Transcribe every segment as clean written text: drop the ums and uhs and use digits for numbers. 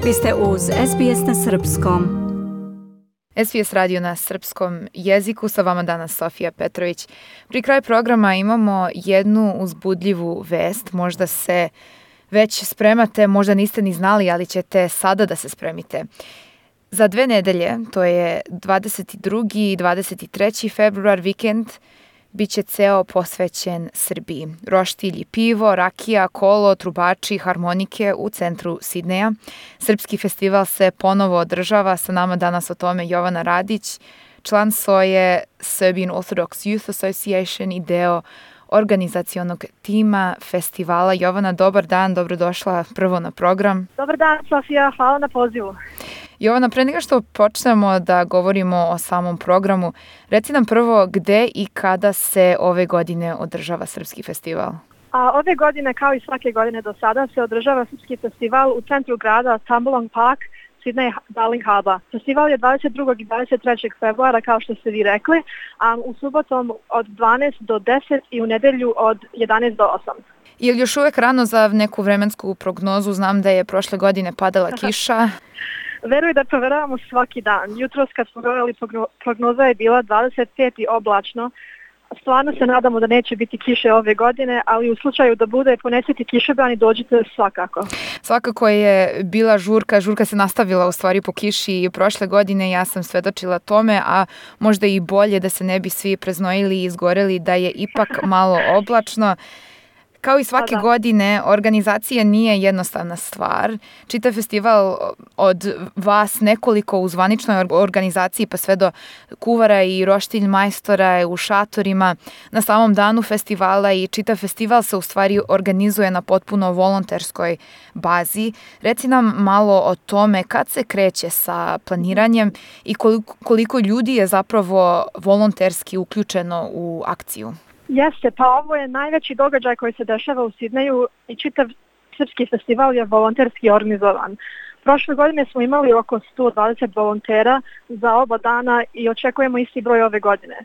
Vi ste uz SBS na Srpskom. SBS radio na srpskom jeziku, sa vama danas Sofija Petrović. Pri kraju programa imamo jednu uzbudljivu vest. Možda se već spremate, možda niste ni znali, ali ćete sada da se spremite. Za 2 nedelje, to je 22. i 23. februar, vikend, bit će ceo posvećen Srbiji. Roštilj i pivo, rakija, kolo, trubači, harmonike u centru Sidneja. Srpski festival se ponovo održava. Sa nama danas o tome Jovana Radić, član SOE Serbian Orthodox Youth Association i deo organizacionog tima festivala. Jovana, dobar dan, dobrodošla prvo na program. Dobar dan, Sofija, hvala na pozivu. Jovana, pre nego što počnemo da govorimo o samom programu, reci nam prvo gde i kada se ove godine održava Srpski festival? Ove godine, kao i svake godine do sada, se održava Srpski festival u centru grada Tumbalong Park, Sydney Darling Harbour. Festival je 22. i 23. februara, kao što ste vi rekli, a u subotom od 12 do 10 i u nedelju od 11 do 8. Je li još uvek rano za neku vremensku prognozu? Znam da je prošle godine padala kiša. Veruj da proveravamo svaki dan. Jutros kad smo gledali prognoza je bila 25 i oblačno. Stvarno se nadamo da neće biti kiše ove godine, ali u slučaju da bude, ponesite kišobran i dođite svakako. Svakako je bila žurka se nastavila u stvari po kiši i prošle godine, ja sam svedočila tome, a možda i bolje da se ne bi svi preznojili i izgoreli, da je ipak malo oblačno. Kao i svake godine, organizacija nije jednostavna stvar. Čitav festival od vas nekoliko u zvaničnoj organizaciji pa sve do kuvara i roštilj majstora u šatorima na samom danu festivala i čitav festival se u stvari organizuje na potpuno volonterskoj bazi. Reci nam malo o tome kad se kreće sa planiranjem i koliko ljudi je zapravo volonterski uključeno u akciju. Jeste, pa ovo je najveći događaj koji se dešava u Sidneju i čitav Srpski festival je volonterski organizovan. Prošle godine smo imali oko 120 volontera za oba dana i očekujemo isti broj ove godine.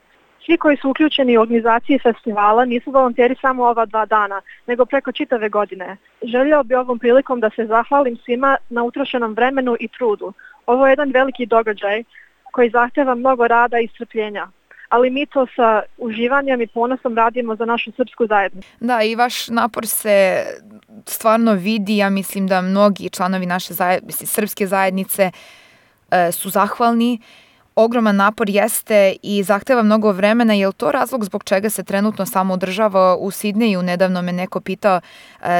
Svi koji su uključeni u organizaciji festivala nisu volonteri samo ova 2 dana, nego preko čitave godine. Želio bi ovom prilikom da se zahvalim svima na utrošenom vremenu i trudu. Ovo je jedan veliki događaj koji zahteva mnogo rada i strpljenja. Ali mi to sa uživanjem i ponosom radimo za našu srpsku zajednicu. Da, i vaš napor se stvarno vidi. Ja mislim da mnogi članovi naše srpske zajednice su zahvalni. Ogroman napor jeste i zahteva mnogo vremena. Je li to razlog zbog čega se trenutno samo održava u Sidneju? Nedavno me neko pitao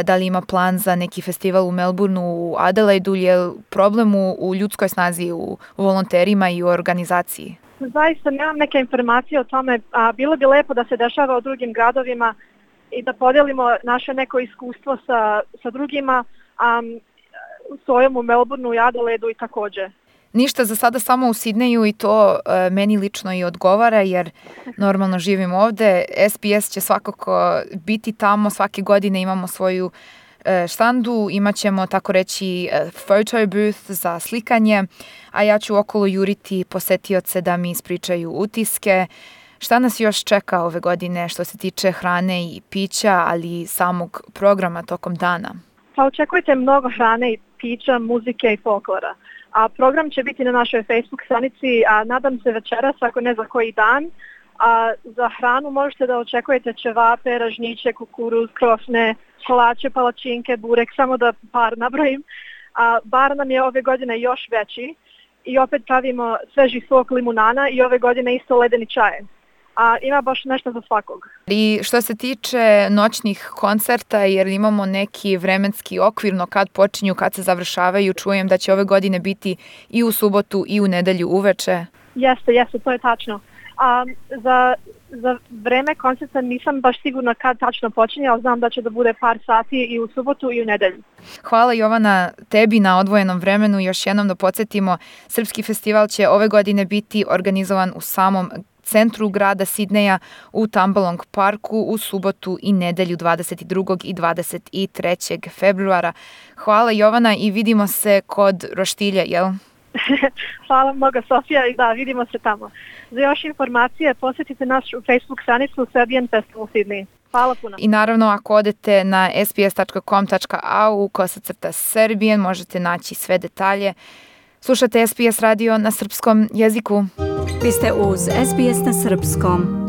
da li ima plan za neki festival u Melbourneu, u Adelaidu. Je li problem u ljudskoj snazi, u volonterima i u organizaciji? Zaista nemam neke informacije o tome, a bilo bi lepo da se dešava u drugim gradovima i da podijelimo naše neko iskustvo sa drugima, u SOE-u, u Melbourneu i Adelaidu i također. Ništa, za sada samo u Sidneju i to meni lično i odgovara jer normalno živim ovde. SBS će svakako biti tamo, svake godine imamo svoju štandu, imat ćemo tako reći photo booth za slikanje, a ja ću okolo juriti posetioce da mi ispričaju utiske. Šta nas još čeka ove godine što se tiče hrane i pića, ali i samog programa tokom dana? Pa očekujte mnogo hrane i pića, muzike i folklora. A program će biti na našoj Facebook stranici, a nadam se večeras, ako ne za koji dan. A za hranu možete da očekujete ćevape, ražnjiće, kukuruz, krofne, kolače, palačinke, burek, samo da par nabrojim. A bar nam je ove godine još veći i opet pravimo sveži sok limunana i ove godine isto ledeni čaj. A ima baš nešto za svakog. I što se tiče noćnih koncerta, jer imamo neki vremenski okvirno kad počinju, kad se završavaju, čujem da će ove godine biti i u subotu i u nedelju uveče. Jeste, to je tačno. Za vreme koncerta nisam baš sigurna kad tačno počinje, ali znam da će da bude par sati i u subotu i u nedelju. Hvala Jovana tebi na odvojenom vremenu. Još jednom da podsjetimo, Srpski festival će ove godine biti organizovan u samom centru grada Sidneja u Tumbalong Parku u subotu i nedelju 22. i 23. februara. Hvala Jovana i vidimo se kod roštilja, jel? Hvala mnogo Sofija i da, vidimo se tamo. Za još informacije posjetite našu Facebook stranicu Serbian Festival Sydney. Hvala puno. I naravno, ako odete na sbs.com.au/Serbian, možete naći sve detalje. Slušate SBS radio na srpskom jeziku. Vi ste uz SBS na srpskom.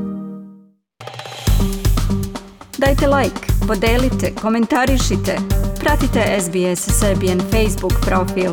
Dajte like, podelite, komentarišite. Pratite SBS Serbian Facebook profil.